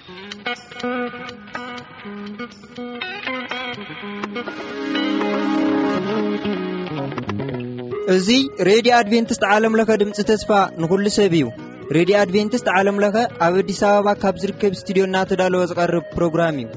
እዚ ሬድዮ ኣድቬንቲስት ዓለም ለኸ ድምፂ ተስፋ ንኹሉ ሰብ እዩ። ሬድዮ ኣድቬንቲስት ዓለም ለኸ ኣብ ኣዲስ ኣበባ ካብ ዝርከብ ስቱዲዮ እናተዳለወ ዝቐርብ ፕሮግራም እዩ።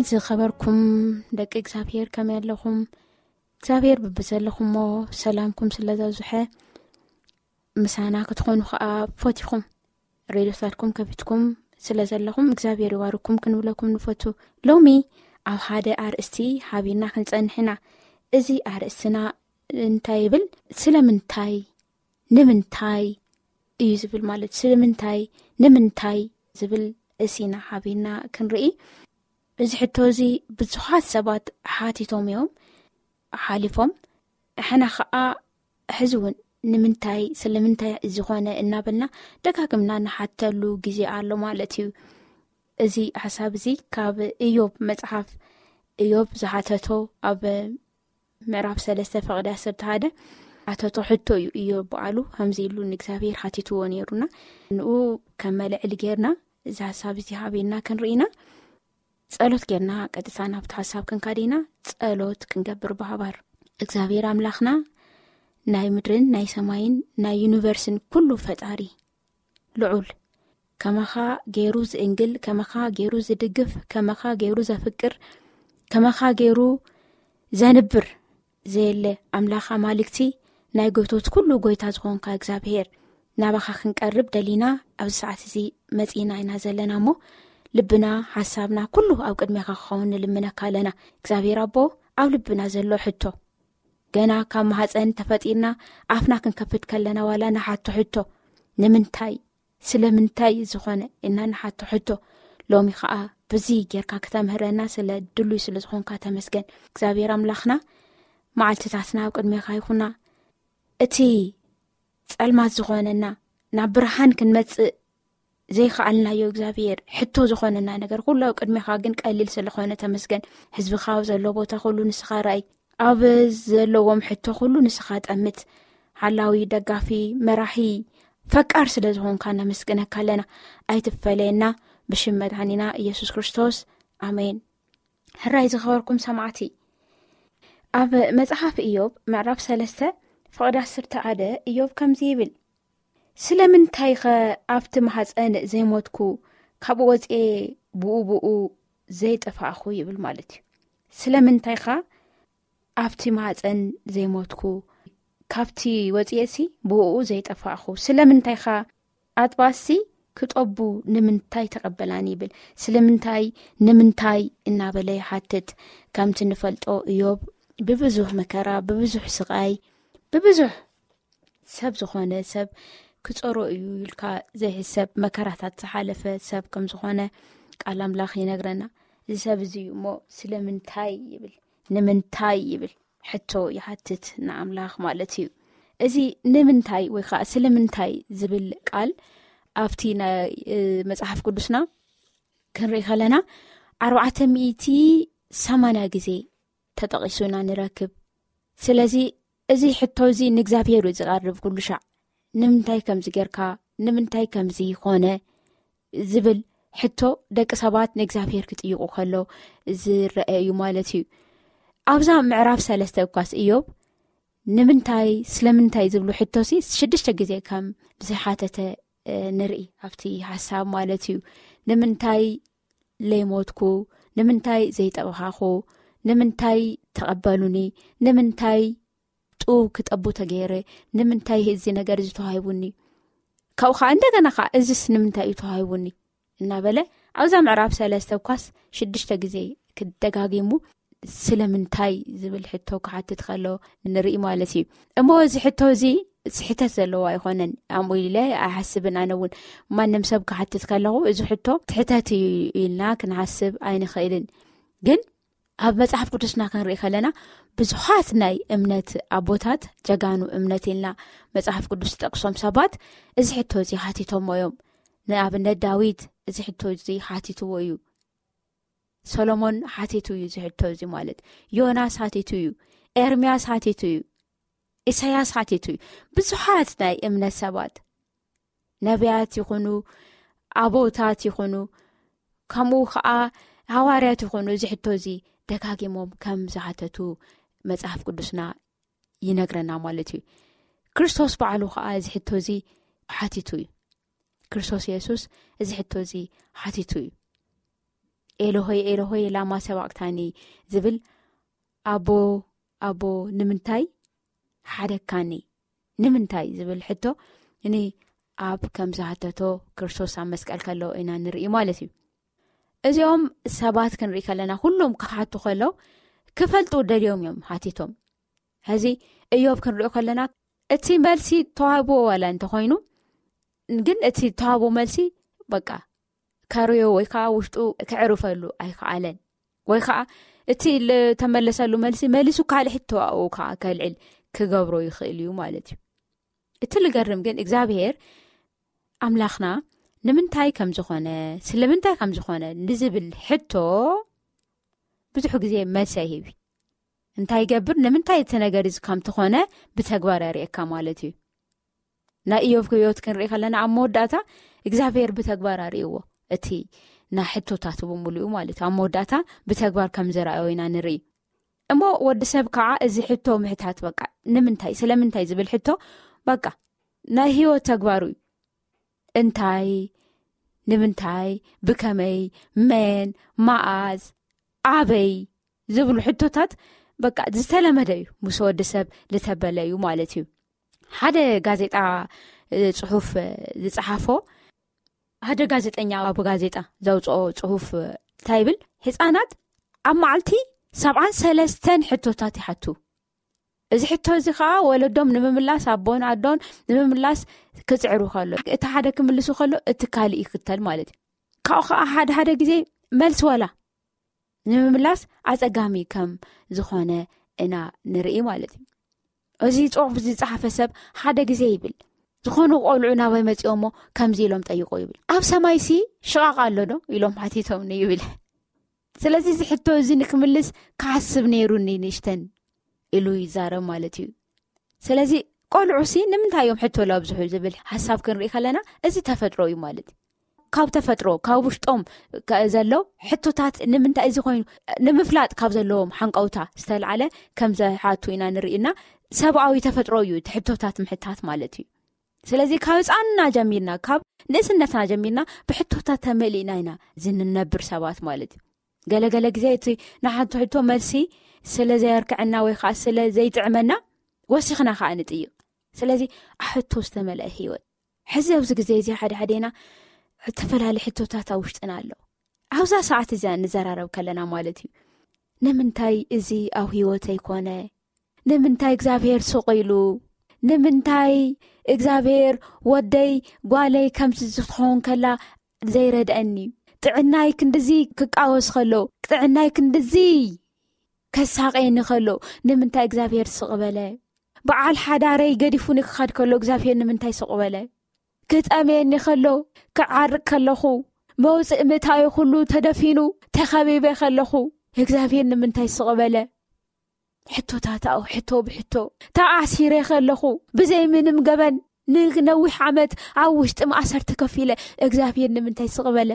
ዝኸበርኩም ደቂ እግዚኣብሔር፣ ከመይ ኣለኹም? እግዚኣብሔር ብብዘለኹሞ ሰላምኩም ስለ ዘብዝሐ፣ ምሳና ክትኾኑ ከኣ ፈቲኹም፣ ሬድዮታትኩም ከፊትኩም ስለ ዘለኹም እግዚኣብሔር ይባርኩም ክንብለኩም ንፈቱ። ሎሚ ኣብ ሓደ ኣርእስቲ ሓቢርና ክንጸንሕ ኢና። እዚ ኣርእስትና እንታይ ይብል? ስለምንታይ፣ ንምንታይ እዩ ዝብል፣ ማለት ስለምንታይ፣ ንምንታይ ዝብል እሲና ሓቢርና ክንርኢ። እዚ ሕቶ እዚ ብዙሓት ሰባት ሓቲቶም እዮም ሓሊፎም። ሕና ኸዓ ሕዚ እውን ንምንታይ፣ ስለምንታይ ዝኾነ እናበልና ደጋግምና ንሓተሉ ግዜ ኣሎ ማለት እዩ። እዚ ሓሳብ እዚ ካብ እዮብ መጽሓፍ፣ እዮብ ዝሓተቶ ኣብ ምዕራፍ ሰለስተ ፍቕዲ ዓሰርተ ሓደ ሓተቶ ሕቶ እዩ። እዮብ በዓሉ ከምዚ ኢሉ ንእግዚኣብሔር ሓቲትዎ ነይሩና። ንኡ ከም መልዕሊ ጌርና እዚ ሓሳብ እዚ ሓቢርና ክንርኢና ጸሎት ጌርና ቀጥታ ናብቲ ሓሳብ ክንካድ ኢና። ጸሎት ክንገብር ብሓባር። እግዚኣብሔር ኣምላኽና ናይ ምድርን ናይ ሰማይን ናይ ዩኒቨርስን ኩሉ ፈጣሪ ልዑል፣ ከማኻ ገይሩ ዝእንግል፣ ከማኻ ገይሩ ዝድግፍ፣ ከማኻ ገይሩ ዘፍቅር፣ ከማኻ ገይሩ ዘንብር ዘየለ ኣምላኽ ኣማልክቲ፣ ናይ ጎይቶት ኩሉ ጎይታ ዝኾንካ እግዚኣብሔር፣ ናባኻ ክንቀርብ ደሊና ኣብዚ ሰዓት እዚ መጺእና ኢና ዘለና እሞ፣ ልብና ሓሳብና ኩሉ ኣብ ቅድሜኻ ክኸውን ንልምነካ ኣለና። እግዚኣብሔር ኣቦ፣ ኣብ ልብና ዘሎ ሕቶ፣ ገና ካብ ማህፀን ተፈጢርና ኣፍና ክንከፍት ከለና ዋላ ንሓቶ ሕቶ ንምንታይ፣ ስለምንታይ ዝኾነ እና ንሓቶ ሕቶ፣ ሎሚ ከዓ ብዚ ጌርካ ክተምህረና ስለ ድሉይ ስለ ዝኾንካ ተመስገን እግዚኣብሔር ኣምላኽና። መዓልትታትና ኣብ ቅድሜኻ ይኹና። እቲ ጸልማት ዝኾነና ናብ ብርሃን ክንመጽእ ዘይከኣልናዮ እግዚኣብሔር፣ ሕቶ ዝኾነና ነገር ኩሉ ኣብ ቅድሜኻ ግን ቀሊል ስለኾነ ተመስገን። ህዝብኻ ኣብ ዘሎ ቦታ ኩሉ ንስኻ ራእይ፣ ኣብ ዘለዎም ሕቶ ኩሉ ንስኻ ጠምት። ሓላዊ፣ ደጋፊ፣ መራሒ፣ ፈቃር ስለ ዝኾንካ ነመስግነካ ኣለና። ኣይትፈለየና። ብሽም መድሓኒና ኢየሱስ ክርስቶስ፣ ኣሜን። ሕራይ ዝኸበርኩም ሰማዕቲ፣ ኣብ መጽሓፍ ኢዮብ ምዕራፍ ሰለስተ ፍቕዲ ዓሰርተ ሓደ ኢዮብ ከምዚ ይብል፣ ስለምንታይ ኸ ኣብቲ ማሕፀን ዘይሞትኩ፣ ካብኡ ወፅኤ ብኡ ብኡ ዘይጠፋእኹ ይብል ማለት እዩ። ስለምንታይ ኸ ኣብቲ ማሕፀን ዘይሞትኩ፣ ካብቲ ወፅኤሲ ብኡ ዘይጠፋእኹ፣ ስለምንታይ ኸ ኣጥባሲ ክጠቡ ንምንታይ ተቐበላኒ ይብል። ስለምንታይ፣ ንምንታይ እናበለ ይሓትት። ከምቲ ንፈልጦ ኢዮብ ብብዙሕ መከራ፣ ብብዙሕ ስቓይ፣ ብብዙሕ ሰብ ዝኾነ ሰብ ክጸሮ እዩ ኢልካ ዘይሕሰብ መከራታት ዝሓለፈ ሰብ ከም ዝኾነ ቃል ኣምላኽ ይነግረና። እዚ ሰብ እዚ እዩ እሞ ስለምንታይ ይብል፣ ንምንታይ ይብል ሕቶ ይሓትት ንኣምላኽ ማለት እዩ። እዚ ንምንታይ ወይ ከዓ ስለምንታይ ዝብል ቃል ኣብቲ ናይ፣ እ፣ መጽሓፍ ቅዱስና ክንርኢ ከለና ኣርባዕተ ሚእቲ ሰማንያ ግዜ ተጠቒሱ ኢና ንረክብ። ስለዚ እዚ ሕቶ እዚ ንእግዚኣብሔር እዩ ዝቐርብ ኩሉ ሻዕ። ንምንታይ ከምዚ ጌርካ? ንምንታይ ከምዚ ኾነ? ዝብል ሕቶ ደቂ ሰባት ንእግዚኣብሔር ክጥይቑ ከሎ ዝረአ እዩ ማለት እዩ። ኣብዛ ምዕራፍ ሰለስተ እኳስ ኢዮብ ንምንታይ፣ ስለምንታይ ዝብሉ ሕቶሲ ሽዱሽተ ግዜ ከም ዝሓተተ፣ እ፣ ንርኢ ኣብቲ ሓሳብ ማለት እዩ። ንምንታይ ለይሞትኩ? ንምንታይ ዘይጠበኻኹ? ንምንታይ ተቐበሉኒ? ንምንታይ ጡብ ክጠቡ ተገይረ? ንምንታይ እዚ ነገር እዚ ተዋሂቡኒ? ካብኡ ኸዓ እንደገና ኸዓ እዚስ ንምንታይ እዩ ተዋሂቡኒ? እናበለ ኣብዛ ምዕራፍ ሰለስተ እኳስ ሽዱሽተ ግዜ ክደጋጊሙ ስለምንታይ ዝብል ሕቶ ክሓትት ከሎ ንርኢ ማለት እዩ። እሞ እዚ ሕቶ እዚ ስሕተት ዘለዎ ኣይኮነን፣ ኣምኡ ኢለ ኣይሓስብን። ኣነ እውን ማንም ሰብ ክሓትት ከለኹ እዚ ሕቶ ስሕተት እዩ ኢልና ክንሓስብ ኣይንኽእልን። ግን ኣብ መጽሓፍ ቅዱስና ክንርኢ ከለና ብዙሓት ናይ እምነት ኣቦታት፣ ጀጋኑ እምነት ኢልና መጽሓፍ ቅዱስ ዝጠቅሶም ሰባት እዚ ሕቶ እዚ ሓቲቶሞ እዮም። ንኣብነት ዳዊት እዚ ሕቶ እዚ ሓቲትዎ እዩ። ሰሎሞን ሓቲቱ እዩ እዚ ሕቶ እዚ ማለት። ዮናስ ሓቲቱ እዩ። ኤርምያስ ሓቲቱ እዩ። ኢሳያስ ሓቲቱ እዩ። ብዙሓት ናይ እምነት ሰባት፣ ነቢያት ይኹኑ፣ ኣቦታት ይኹኑ፣ ከምኡ ኸዓ ሃዋርያት ይኹኑ፣ እዚ ሕቶ እዚ ደጋጊሞም ከም ዝሓተቱ መጽሓፍ ቅዱስና ይነግረና ማለት እዩ። ክርስቶስ ባዕሉ ኸዓ እዚ ሕቶ እዚ ሓቲቱ እዩ። ክርስቶስ የሱስ እዚ ሕቶ እዚ ሓቲቱ እዩ። ኤሎሆይ ኤሎሆይ ላማ ሰባቅታኒ ዝብል ኣቦ ኣቦ ንምንታይ ሓደካኒ ንምንታይ ዝብል ሕቶ ን ኣብ ከም ዝሓተቶ ክርስቶስ ኣብ መስቀል ከለዉ ኢና ንርኢ ማለት እዩ። እዚኦም ሰባት ክንርኢ ከለና ኩሎም ክሓቱ ከለዉ ክፈልጡ ደልዮም እዮም ሓቲቶም። ሕዚ እዮብ ክንሪኦ ከለና እቲ መልሲ ተዋህብዎ ዋላ እንተኾይኑ ግን እቲ ተዋህቦ መልሲ በቃ ከርዮ ወይ ከዓ ውሽጡ ክዕርፈሉ ኣይከኣለን። ወይ ከዓ እቲ ዝተመለሰሉ መልሲ መሊሱ ካልእ ሕቶ ኣብኡ ከዓ ከልዕል ክገብሮ ይኽእል እዩ ማለት እዩ። እቲ ልገርም ግን እግዚኣብሔር ኣምላኽና ንምንታይ ከም ዝኾነ ስለምንታይ ከም ዝኾነ ንዝብል ሕቶ ብዙሕ ግዜ መልሲ ኣይህብ። እንታይ ይገብር ንምንታይ እቲ ነገር እዚ ከም ትኾነ ብተግባር የርእየካ ማለት እዩ። ናይ እዮብ ህይወት ክንርኢ ከለና ኣብ መወዳእታ እግዚኣብሔር ብተግባር ኣርእይዎ። እቲ ናይ ሕቶታት ብምሉኡ ማለት እዩ ኣብ መወዳእታ ብተግባር ከም ዝረኣዮ ኢና ንርኢ። እሞ ወዲ ሰብ ከዓ እዚ ሕቶ ምሕታት በቃ ንምንታይ ስለምንታይ ዝብል ሕቶ በቃ ናይ ህይወት ተግባሩ እዩ። እንታይ፣ ንምንታይ፣ ብከመይ፣ መን፣ መኣዝ፣ ኣበይ ዝብሉ ሕቶታት በቃ ዝተለመደ እዩ። ምስ ወዲ ሰብ ዝተበለ እዩ ማለት እዩ። ሓደ ጋዜጣ ጽሑፍ ዝጸሓፎ ሓደ ጋዜጠኛ ኣብ ጋዜጣ ዘውፅኦ ጽሑፍ እንታይ ይብል? ህፃናት ኣብ መዓልቲ ሰብዓን ሰለስተን ሕቶታት ይሓቱ። እዚ ሕቶ እዚ ከዓ ወለዶም ንምምላስ ኣቦን ኣዶን ንምምላስ ክፅዕሩ ከሎ እቲ ሓደ ክምልሱ ከሎ እቲ ካልእ ይክተል ማለት እዩ። ካብኡ ከዓ ሓደ ሓደ ግዜ መልሲ ዋላ ንምምላስ ኣፀጋሚ ከም ዝኾነ ኢና ንርኢ ማለት እዩ። እዚ ፅሑፍ ዝፀሓፈ ሰብ ሓደ ግዜ ይብል ዝኾኑ ቆልዑ ናባይ መፂኦሞ ከምዚ ኢሎም ጠይቆ ይብል ኣብ ሰማይሲ ሽቓቕ ኣሎ ዶ ኢሎም ሓቲቶም ይብል። ስለዚ እዚ ሕቶ እዚ ንክምልስ ክሓስብ ነይሩኒ ንእሽተን ኢሉ ይዛረብ ማለት እዩ። ስለዚ ቆልዑሲ ንምንታይ እዮም ሕቶ ለብዝሑ ዝብል ሓሳብ ክንርኢ ከለና እዚ ተፈጥሮ እዩ ማለት እዩ። ካብ ተፈጥሮ ካብ ውሽጦም ዘሎ ሕቶታት ንምንታይ እዚ ኮይኑ ንምፍላጥ ካብ ዘለዎም ሓንቀውታ ዝተልዓለ ከም ዝሓቱ ኢና ንርኢና። ሰብኣዊ ተፈጥሮ እዩ እቲ ሕቶታት ምሕታት ማለት እዩ። ስለዚ ካብ ህፃንና ጀሚርና ካብ ንእስነትና ጀሚርና ብሕቶታት ተመሊእና ኢና ዝንነብር ሰባት ማለት እዩ። ገለገለ ግዜ እቲ ንሓንቲ ሕቶ መልሲ ስለ ዘየርክዐና ወይ ከዓ ስለ ዘይጥዕመና ወሲኽና ከዓ ንጥይቕ። ስለዚ ኣሕቶ ዝተመልአ ህይወት ሕዚ ኣብዚ ግዜ እዚ ሓደ ሓደና ዝተፈላለዩ ሕቶታት ኣብ ውሽጥና ኣሎ። ኣብዛ ሰዓት እዚኣ ንዘራረብ ከለና ማለት እዩ ንምንታይ እዚ ኣብ ህይወተይ ኮነ? ንምንታይ እግዚኣብሔር ስቕ ኢሉ? ንምንታይ እግዚኣብሔር ወደይ ጓለይ ከምዚ ዝትኸውን ከላ ዘይረድአኒ? ጥዕናይ ክንድዚ ክቃወስ ከሎ ጥዕናይ ክንድዚ ከሳቐየኒ ከሎ ንምንታይ እግዚኣብሔር ስቕ በለ? በዓል ሓዳረይ ገዲፉኒ ክኻድ ከሎ እግዚኣብሔር ንምንታይ ስቕ በለ? ክጠምየኒ ከሎ ክዓርቅ ከለኹ መውፅእ ምእታዊ ኩሉ ተደፊኑ ተኸቢበ ከለኹ እግዚኣብሔር ንምንታይ ስቕ በለ? ሕቶታት ኣው ሕቶ ብሕቶ ተኣሲረ ከለኹ ብዘይ ምንም ገበን ንነዊሕ ዓመት ኣብ ውሽጢ ማእሰርቲ ከፊለ እግዚኣብሔር ንምንታይ ስቕ በለ?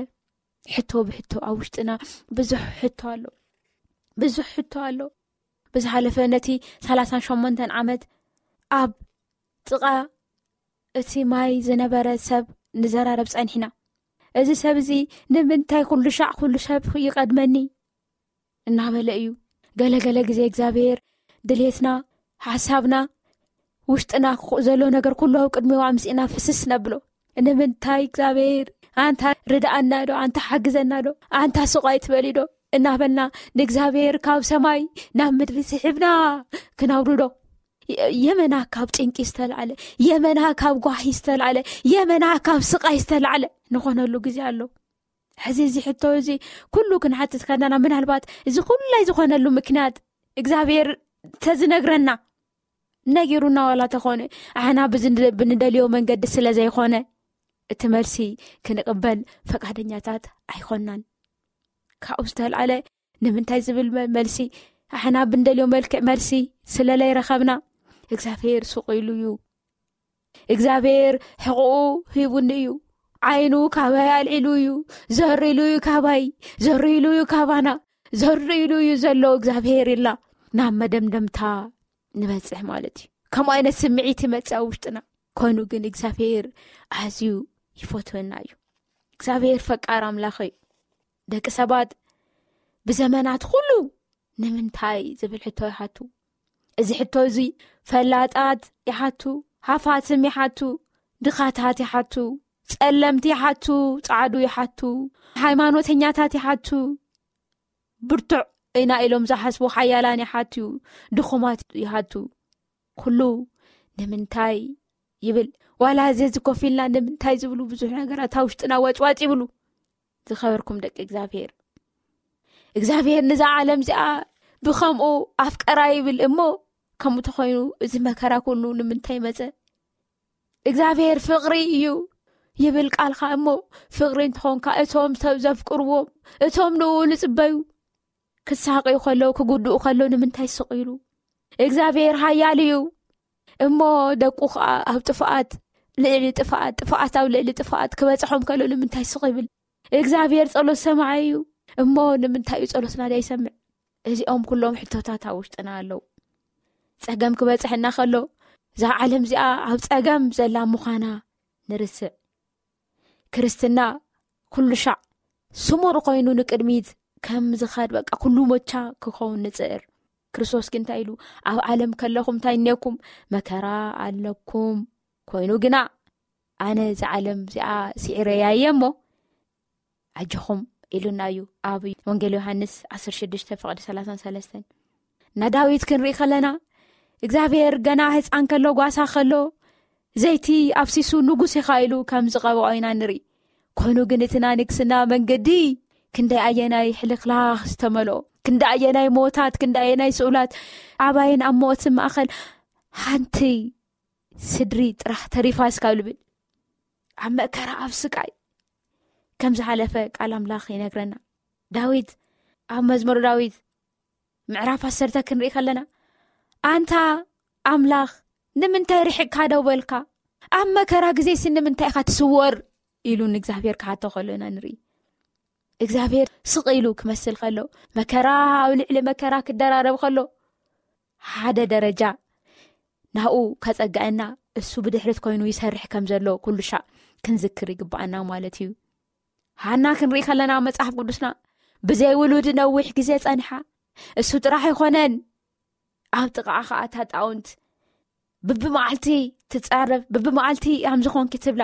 ሕቶ ብሕቶ ኣብ ውሽጥና ብዙሕ ሕቶ ኣሎ። ብዙሕ ሕቶ ኣሎ። ብዝሓለፈ ነቲ ሰላሳን ሸሞንተን ዓመት ኣብ ጥቓ እቲ ማይ ዝነበረ ሰብ ንዘራረብ ጸኒሕና። እዚ ሰብ እዚ ንምንታይ ኩሉ ሻዕ ኩሉ ሰብ ይቐድመኒ እናበለ እዩ። ገለገለ ግዜ እግዚኣብሔር ድሌትና ሓሳብና ውሽጥና ዘሎ ነገር ኩሉ ኣብ ቅድሚዋ ኣምፅእና ፍስስ ነብሎ። ንምንታይ እግዚኣብሔር ኣንታ ርድኣና ዶ ኣንታ ሓግዘና ዶ ኣንታ ስቓይ ትበሊ ዶ እናበልና ንእግዚኣብሔር ካብ ሰማይ ናብ ምድሪ ስሒብና ክነውርዶ የመና ካብ ጭንቂ ዝተልዓለ የመና ካብ ጓሂ ዝተልዓለ የመና ካብ ስቓይ ዝተልዓለ ንኾነሉ ግዜ ኣሎ። ሕዚ እዚ ሕቶ እዚ ኩሉ ክንሓትት ከለና ምናልባት እዚ ኩላይ ዝኾነሉ ምክንያት እግዚኣብሔር ተዝነግረና ነጊሩና ዋላ ተኾነ ኣሕና ብንደልዮ መንገዲ ስለ ዘይኾነ እቲ መልሲ ክንቕበል ፈቃደኛታት ኣይኮናን። ካብኡ ዝተልዓለ ንምንታይ ዝብል መልሲ ኣሕና ብንደልዮ መልክዕ መልሲ ስለለይረኸብና እግዚኣብሔር ስቕ ኢሉ እዩ። እግዚኣብሔር ሕቕኡ ሂቡኒ እዩ። ዓይኑ ካባይ ኣልዒሉ እዩ። ዘር ኢሉ እዩ ካባይ፣ ዘር ኢሉ እዩ ካባና፣ ዘር ኢሉ እዩ ዘሎ እግዚኣብሔር ኢልና ናብ መደምደምታ ንበፅሕ ማለት እዩ። ከምኡ ዓይነት ስምዒት ይመፅእ ኣብ ውሽጥና። ኮይኑ ግን እግዚኣብሔር ኣዝዩ ይፈትወና እዩ። እግዚኣብሔር ፈቃር ኣምላኽ እዩ። ደቂ ሰባት ብዘመናት ኩሉ ንምንታይ ዝብል ሕቶ ይሓቱ። እዚ ሕቶ እዚ ፈላጣት ይሓቱ፣ ሃፋትም ይሓቱ፣ ድኻታት ይሓቱ፣ ጸለምቲ ይሓቱ፣ ጻዕዱ ይሓቱ፣ ሃይማኖተኛታት ይሓቱ፣ ብርቱዕ ኢና ኢሎም ዝሓስቡ ሓያላን ይሓቱ፣ ድኹማት ይሓቱ። ኩሉ ንምንታይ ይብል። ዋላ እዚ እዚ ኮፍ ኢልና ንምንታይ ዝብሉ ብዙሕ ነገራት ኣብ ውሽጥና ዋጭዋጭ ይብሉ። ዝኸበርኩም ደቂ እግዚኣብሔር፣ እግዚኣብሔር ንዛ ዓለም እዚኣ ብኸምኡ ኣፍቀራ ይብል እሞ፣ ከምኡ ተኾይኑ እዚ መከራ ኩሉ ንምንታይ መጸ? እግዚኣብሔር ፍቕሪ እዩ ይብል ቃልካ እሞ፣ ፍቕሪ እንተኾንካ እቶም ሰብ ዘፍቅርዎም፣ እቶም ንኡ ዝጽበዩ ክሳቐዩ ከለዉ፣ ክጉድኡ ከለዉ ንምንታይ ስቕ ኢሉ? እግዚኣብሔር ሓያል እዩ እሞ፣ ደቁ ኸኣ ኣብ ጥፍኣት ልዕሊ ጥፍኣት፣ ጥፍኣት ኣብ ልዕሊ ጥፍኣት ክበጽሖም ከሎ ንምንታይ ስቕ ይብል? እግዚኣብሔር ጸሎት ሰማዒ እዩ እሞ፣ ንምንታይ እዩ ጸሎትና ዘይሰምዕ? እዚኦም ኩሎም ሕቶታት ኣብ ውሽጥና ኣለዉ። ጸገም ክበጽሐና ከሎ፣ እዛ ዓለም እዚኣ ኣብ ጸገም ዘላ ምዃና ንርስዕ። ክርስትና ኩሉ ሻዕ ስሙር ኮይኑ ንቅድሚት ከም ዝኸድ፣ በቃ ኩሉ ሞቻ ክኸውን ንጽዕር። ክርስቶስ ግን እንታይ ኢሉ? "ኣብ ዓለም ከለኹም እንታይ እኔኩም? መከራ ኣለኩም። ኮይኑ ግና ኣነ እዛ ዓለም እዚኣ ስዒረያ እየ እሞ ኣጆኹም" ኢሉና እዩ ኣብ ወንጌል ዮሃንስ ዓሰርተ ሽዱሽተ ፍቕዲ ሰላሳን ሰለስተን። ንዳዊት ክንርኢ ከለና፣ እግዚኣብሔር ገና ህፃን ከሎ፣ ጓሳ ከሎ፣ ዘይቲ ኣፍሲሱ ንጉስ ኢኻ ኢሉ ከም ዝቐብኦ ኢና ንርኢ። ኮይኑ ግን እቲ ናይ ንግስና መንገዲ ክንደይ ኣየናይ ሕልኽላኽ ዝተመልኦ፣ ክንደይ ኣየናይ ሞታት፣ ክንደይ ኣየናይ ስኡላት፣ ኣባይን ኣብ ሞትን ማእኸል ሓንቲ ስድሪ ጥራሕ ተሪፋ እስካብ ልብል፣ ኣብ መከራ፣ ኣብ ስቃይ ከም ዝሓለፈ ቃል ኣምላኽ ይነግረና። ዳዊት፣ ኣብ መዝሙር ዳዊት ምዕራፍ ዓሰርተ ክንርኢ ከለና፣ "ኣንታ ኣምላኽ፣ ንምንታይ ርሒቕካ ደው በልካ? ኣብ መከራ ግዜሲ ንምንታይ ኢኻ ትስወር?" ኢሉ ንእግዚኣብሔር ክሓቶ ከሎ ኢና ንርኢ። እግዚኣብሔር ስቕ ኢሉ ክመስል ከሎ፣ መከራ ኣብ ልዕሊ መከራ ክደራረብ ከሎ፣ ሓደ ደረጃ ናብኡ ከጸግዐና፣ እሱ ብድሕሪት ኮይኑ ይሰርሕ ከም ዘሎ ኩሉ ሻዕ ክንዝክር ይግብኣና ማለት እዩ። ሃና ክንርኢ ከለና፣ ኣብ መጽሓፍ ቅዱስና ብዘይ ውሉድ ነዊሕ ግዜ ጸኒሓ። እሱ ጥራሕ ኣይኮነን፣ ኣብ ጥቓኣ ኸኣ እታ ጣውንት ብብመዓልቲ ትጻረፍ፣ ብብመዓልቲ ከምዚ ኾንኪ ትብላ።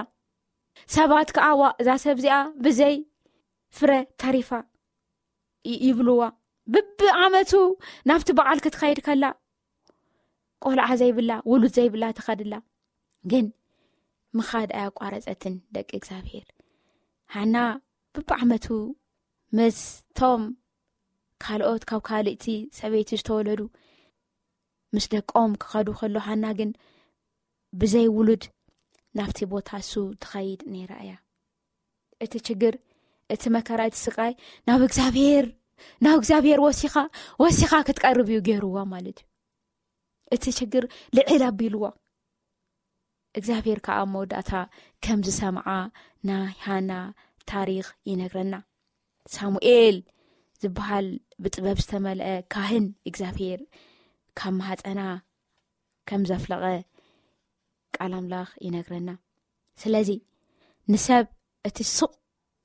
ሰባት ከኣ፣ "ዋ፣ እዛ ሰብ እዚኣ ብዘይ ፍረ ተሪፋ" ይ-፣ ይብልዋ። ብብዓመቱ ናብቲ በዓል ክትኸይድ ከላ፣ ቆልዓ ዘይብላ፣ ውሉድ ዘይብላ ትኸድላ። ግን ምኻድ ኣያቋረጸትን፣ ደቂ እግዚኣብሔር። ሃና ብብዓመቱ ምስቶም ካልኦት፣ ካብ ካልእቲ ሰበይቲ ዝተወለዱ ምስ ደቆም ክኸዱ ከሎ፣ ሃና ግን ብዘይ ውሉድ ናብቲ ቦታ እሱ ትኸይድ ነይራ እያ። እቲ ችግር፣ እቲ መከራ፣ እቲ ስቃይ ናብ እግዚኣብሔር፣ ናብ እግዚኣብሔር ወሲኻ፣ ወሲኻ ክትቀርብ እዩ ገይርዋ ማለት እዩ። እቲ ችግር ልዕል ኣቢልዋ። እግዚኣብሔር ከኣ ኣብ መወዳእታ ከም ዝሰምዓ ናይ ሃና ታሪኽ ይነግረና። ሳሙኤል ዝበሃል ብጥበብ ዝተመልአ ካህን እግዚኣብሔር ካብ ማህፀና ከም ዘፍለቐ ቃል ኣምላኽ ይነግረና። ስለዚ ንሰብ እቲ ስቕ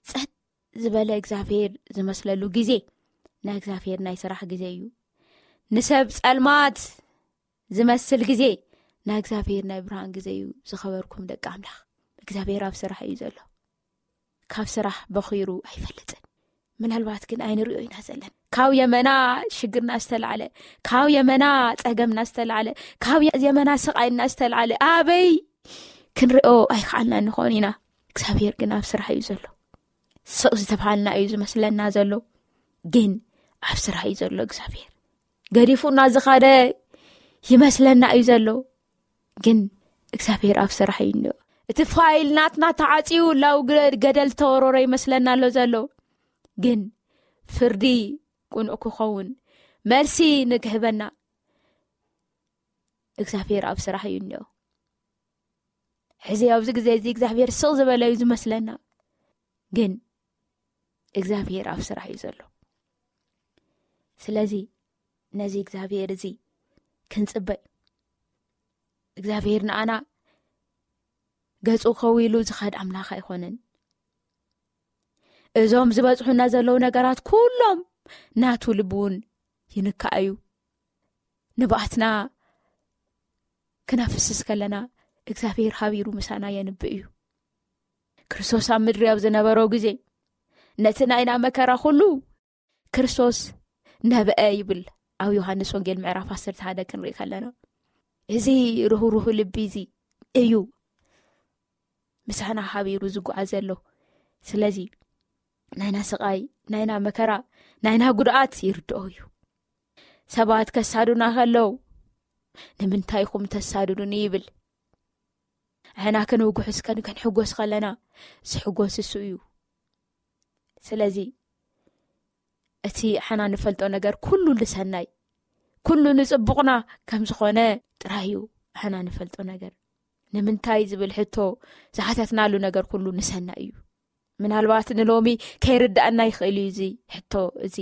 ጸጥ ዝበለ እግዚኣብሔር ዝመስለሉ ግዜ ናይ እግዚኣብሔር ናይ ስራሕ ግዜ እዩ። ንሰብ ጸልማት ዝመስል ግዜ ናይ እግዚኣብሔር ናይ ብርሃን ግዜ እዩ። ዝኸበርኩም ደቂ ኣምላኽ፣ እግዚኣብሔር ኣብ ስራሕ እዩ ዘሎ። ካብ ስራሕ በኺሩ ኣይፈልጥን። ምናልባት ግን ኣይንሪኦ ኢና ዘለና። ካብ የመና ሽግርና ዝተላዕለ፣ ካብ የመና ጸገምና ዝተላዕለ፣ ካብ የመና ስቓይና ዝተላዕለ ኣበይ ክንሪኦ ኣይከኣልና ንኾን ኢና። እግዚኣብሔር ግን ኣብ ስራሕ እዩ ዘሎ። ስቕ ዝተብሃልና እዩ ዝመስለና ዘሎ፣ ግን ኣብ ስራሕ እዩ ዘሎ እግዚኣብሔር። ገዲፉና ዝኸደ ይመስለና እዩ ዘሎ፣ ግን እግዚኣብሔር ኣብ ስራሕ እዩ እንዮ። እቲ ፋይል ናትና ተዓጽዩ፣ ላው ገ-፣ ገደል ተወረረ ይመስለና ኣሎ ዘሎ፣ ግን ፍርዲ ቅኑዕ ክኸውን፣ መልሲ ንክህበና እግዚኣብሔር ኣብ ስራሕ እዩ እንዮ። ሕዚ ኣብዚ ግዜ እዚ እግዚኣብሔር ስቕ ዝበለ እዩ ዝመስለና፣ ግን እግዚኣብሔር ኣብ ስራሕ እዩ ዘሎ። ስለዚ ነዚ እግዚኣብሔር እዚ ክንጽበ፣ እግዚኣብሔር ንኣና ገጹ ከዊሉ ዝኸድ ኣምላኽ ኣይኮነን። እዞም ዝበጽሑና ዘለዉ ነገራት ኩሎም ናቱ ልቢ እውን ይንካእ እዩ። ንብኣትና ክነፍስስ ከለና እግዚኣብሔር ሃቢሩ ምሳና የንብእ እዩ። ክርስቶስ ኣብ ምድሪ ኣብ ዝነበረው ግዜ ነቲ ናይና መከራ ኩሉ ክርስቶስ ነበአ ይብል ኣብ ዮሃንስ ወንጌል ምዕራፍ ዓሰርተ ሓደ ክንርኢ ከለና። እዚ ርህሩህ ልቢ እዚ እዩ ምሳና ሃቢሩ ዝጓዓዝ ዘሎ። ስለዚ ናይና ስቓይ፣ ናይና መከራ፣ ናይና ጉድኣት ይርድኦ እዩ። ሰባት ከሳዱና ከለዉ "ንምንታይ ኢኹም ተሳድዱኒ?" ይብል። ንሕና ክንውጉሕስ ከን ክንሕጎስ ከለና ዝሕጎስ እሱ እዩ። ስለዚ እቲ ሕና ንፈልጦ ነገር ኩሉ ንሰናይ፣ ኩሉ ንጽቡቕና ከም ዝኾነ ጥራይ እዩ። ሕና ንፈልጦ ነገር ንምንታይ ዝብል ሕቶ ዝሓተትናሉ ነገር ኩሉ ንሰናይ እዩ። ምናልባት ንሎሚ ከይርዳእና ይኽእል እዩ እዚ ሕቶ እዚ።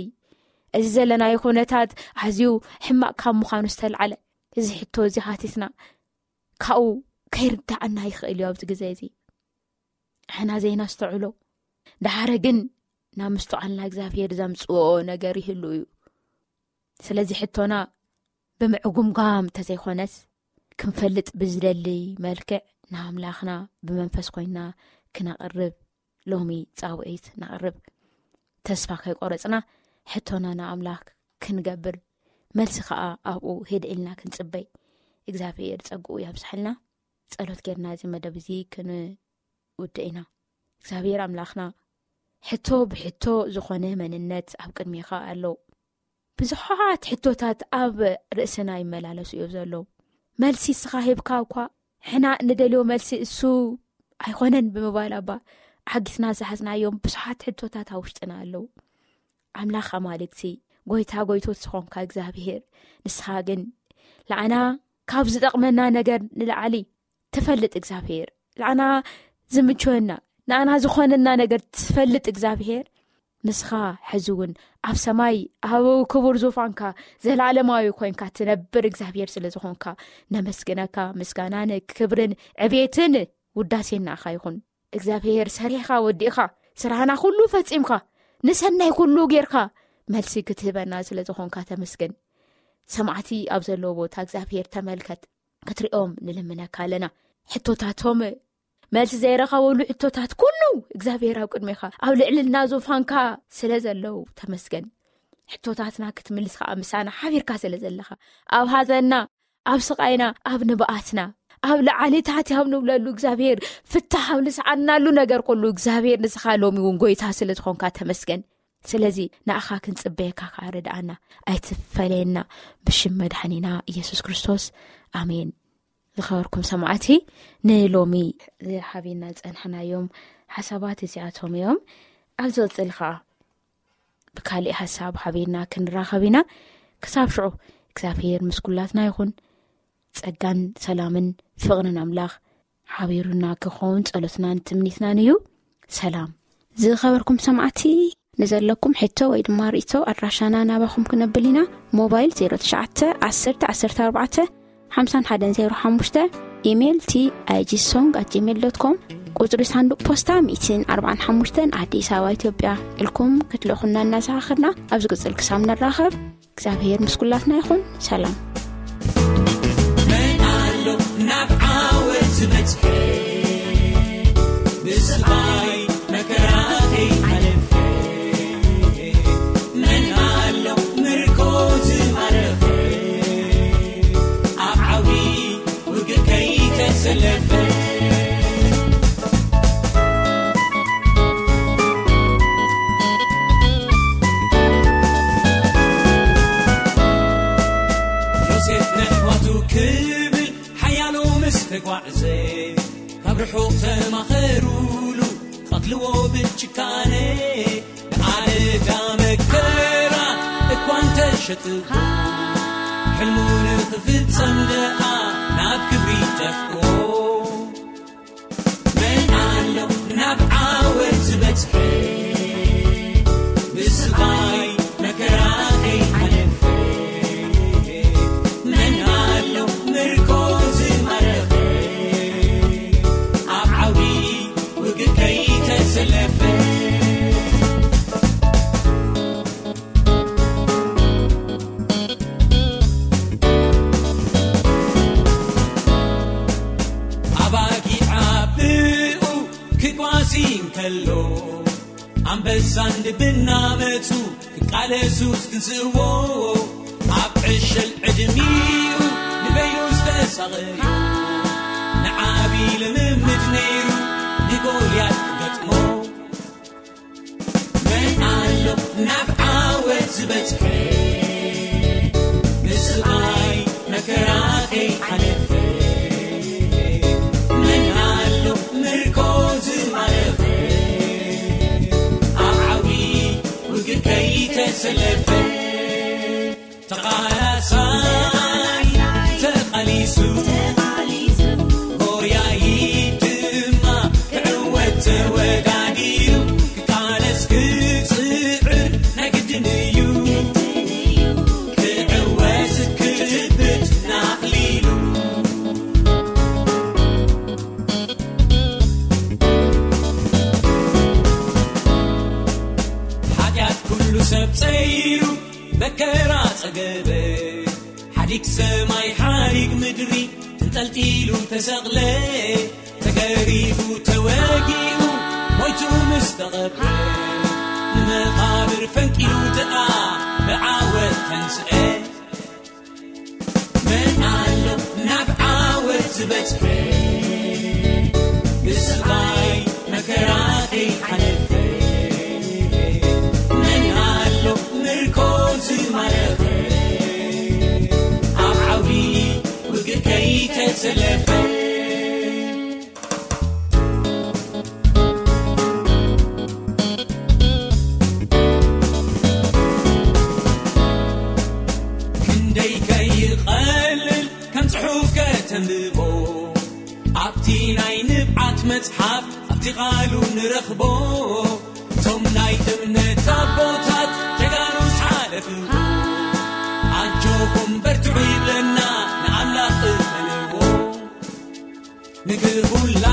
እዚ ዘለናዮ ኩነታት ኣዝዩ ሕማቕ ካብ ምዃኑ ዝተልዓለ፣ እዚ ሕቶ እዚ ሓቲትና ካብኡ ከይርዳእና ይኽእል እዩ ኣብዚ ግዜ እዚ። ሕና ዘይናስተውዕሎ፣ ደሓረ ግን ናብ ምስትውዓልና እግዚኣብሔር ዘምጽኦ ነገር ይህሉ እዩ። ስለዚ ሕቶና ብምዕጉምጋም እንተዘይኮነስ፣ ክንፈልጥ ብዝደሊ መልክዕ ንኣምላኽና ብመንፈስ ኮይንና ክነቕርብ፣ ሎሚ ጻውዒት ነቕርብ። ተስፋ ከይቆረጽና ሕቶና ንኣምላኽ ክንገብር፣ መልሲ ከኣ ኣብኡ ህድእ ኢልና ክንጽበይ እግዚኣብሔር ጸግኡ የብዝሓልና። ጸሎት ጌርና እዚ መደብ እዚ ክንውድእ ኢና። እግዚኣብሔር ኣምላኽና፣ ሕቶ ብሕቶ ዝኾነ መንነት ኣብ ቅድሜኻ ኣሎ። ብዙሓት ሕቶታት ኣብ ርእስና ይመላለሱ እዮም ዘለዉ። መልሲ እስኻ ሂብካ እኳ፣ ሕና እንደልዮ መልሲ እሱ ኣይኾነን ብምባል፣ ኣባ፣ ዓጊትና ዝሓዝናዮም ብዙሓት ሕቶታት ኣብ ውሽጥና ኣለዉ። ኣምላኽ ኣማልክቲ፣ ጎይታ ጎይቶት ዝኾንካ እግዚኣብሔር፣ ንስኻ ግን ንዓና ካብ ዝጠቕመና ነገር ንላዕሊ ትፈልጥ እግዚኣብሔር፣ ንዓና ዝምችወና፣ ንዓና ዝኾነና ነገር ትፈልጥ እግዚኣብሔር፣ ንስኻ ሕዚ እውን ኣብ ሰማይ ኣብ ክቡር ዙፋንካ ዘላለማዊ ኮይንካ ትነብር እግዚኣብሔር ስለ ዝኾንካ ነመስግነካ። ምስጋናን ክብርን ዕቤትን ውዳሴን ንኣኻ ይኹን። እግዚኣብሔር፣ ሰሪሕኻ ወዲእኻ፣ ስራህና ኩሉ ፈጺምካ፣ ንሰናይ ኩሉ ጌርካ፣ መልሲ ክትህበና ስለ ዝኾንካ ተመስገን። ሰማዕቲ ኣብ ዘለዎ ቦታ እግዚኣብሔር ተመልከት፣ ክትሪኦም ንልምነካ ኣለና። ሕቶታቶም መልሲ ዘይረኸበሉ ሕቶታት ኩሉ እግዚኣብሔር ኣብ ቅድሜኻ ኣብ ልዕልና ዙፋንካ ስለ ዘለዉ ተመስገን። ሕቶታትና ክትምልስ ከኣ ምሳና ሓቢርካ ስለ ዘለኻ፣ ኣብ ሃዘንና፣ ኣብ ስቓይና፣ ኣብ ንብኣትና፣ ኣብ ላዕሊ ታሕቲ ኣብ ንብለሉ እግዚኣብሔር ፍታሕ ኣብ ንስዓናሉ ነገር ኩሉ እግዚኣብሔር ንስኻ ሎሚ እውን ጎይታ ስለ ዝኾንካ ተመስገን። ስለዚ ንኣኻ ክንጽበየካ ከኣ ርድኣና፣ ኣይትፈለየና። ብሽም መድሓኒና ኢየሱስ ክርስቶስ፣ ኣሜን። ዝኸበርኩም ሰማዕቲ፣ ንሎሚ ዝሓቢና ዝጸንሐናዮም ሓሳባት እዚኣቶም እዮም። ኣብ ዝቕጽል ከኣ ብካሊእ ሓሳብ ሓቢርና ክንራኸብ ኢና። ክሳብ ሽዑ እግዚኣብሔር ምስ ኩላትና ይኹን። ጸጋን ሰላምን ፍቕርን ኣምላኽ ሓቢሩና ክኸውን ጸሎትናን ትምኒትናን እዩ። ሰላም። ዝኸበርኩም ሰማዕቲ፣ ንዘለኩም ሕቶ ወይ ድማ ርእቶ ኣድራሻና ናባኹም ክነብል ኢና። ሞባይል ዜሮ ትሽዓተ ዓሰርተ ዓሰርተ ኣርባዕተ ሓምሳን ሓደን ዜሮ ሓሙሽተ፣ ኢሜይል ቲ ኣይ ጂ ሶንግ ኣት ጂሜይል ዶት ኮም፣ ቁጽሪ ሳንዱቕ ፖስታ ሚእትን ኣርባዓን ሓሙሽተን፣ ኣዲስ ኣበባ፣ ኢትዮጵያ ኢልኩም ክትልእኹና እናዘኻኸርና፣ ኣብ ዝቕጽል ክሳብ ንራኸብ እግዚኣብሔር ምስ ኩላትና ይኹን። ሰላም። መን ኣሎ ናብ ዓወት ዝበጽሐ፣ ብስቓይ መከራ ከይሓለፈ? መን ኣሎ ምርኮ ዝማረኸ፣ ኣብ ዓውዲ ውግእ ከይተሰለፈ? ዮሴፍ ነሕዋቱ ክብል ሓያሎ ምስ ተጓዕዘ፣ ካብ ርሑቕ ተማኸሩሉ፣ ቀትልዎ ብጭካነ። ንኣደዳ መከራ እኳ እንተሸጥዎ፣ ሕልሙ ንኽፍጸም ደኣ ናብ ክብሪ ደፍኦ። መን ኣሎ ናብ ዓወት ዝበጽሐ፣ ብስቓይ መከራ ከይሓለፈ? መን ኣሎ ምርኮ ዝማረኸ፣ ኣብ ዓውዲ ውግእ ከይተሰለፈ? ኣሎ ኣንበሳን ድብና መጹ ክቃለሱ ክትንስእዎ ኣብ ዕሸል ዕድሚኡ ንበይኑ ዝተሳቐዩ ንዓቢ ልምምድ ነይሩ ንጎልያድ ክገጥሞ መን ኣሎ ናብ ዓወት ዝበጽሐ ንስቓይ መከራ ከይሓለፈ መን ኣሎ ምርኮ ዝማረኸ ኣብ ዓውዲ ውግእ ከይተሰለፈ ተቓላሳይ ተቓሊሱ ጎያይት ድማ ክዕወት ተወዳዲሩ ክቃለስ ክጽዕር ናይ ግድን እዩ ክዕወት ክጭብጥ ናኽሊሉ ሓጢኣት ኩሉ ሰብ ጸይሩ መከራ ጸገበ ሓዲግ ሰማይ ሓዲግ ምድሪ ተንጠልጢሉ ተሰቕለ ተገሪፉ ተወጊኡ ሞይቱ ምስ ተቐብረ ንመቓብር ፈንቂሉ ደኣ ብዓወት ተንስአ መን ኣሎ ናብ ዓወት ዝበጽሐ ብስቓይ መከራ ከይሓለፈ መን ኣሎ ምርኮ ዝማረኸ ኣብ ዓውዲ ውግእ ከይተሰለፈ ክንደይ ከይቐልል ከም ጽሑፍ ከተንብቦ ኣብቲ ናይ ንብዓት መጽሓፍ ኣብቲ ቓሉ ንረኽቦ እቶም ናይ እምነት ኣቦታት ጀጋኑ ዝሓለፍዎ ኣጆኹም በርትዑ ይብለና ንኣምላኽ እመንዎ ንግሁላ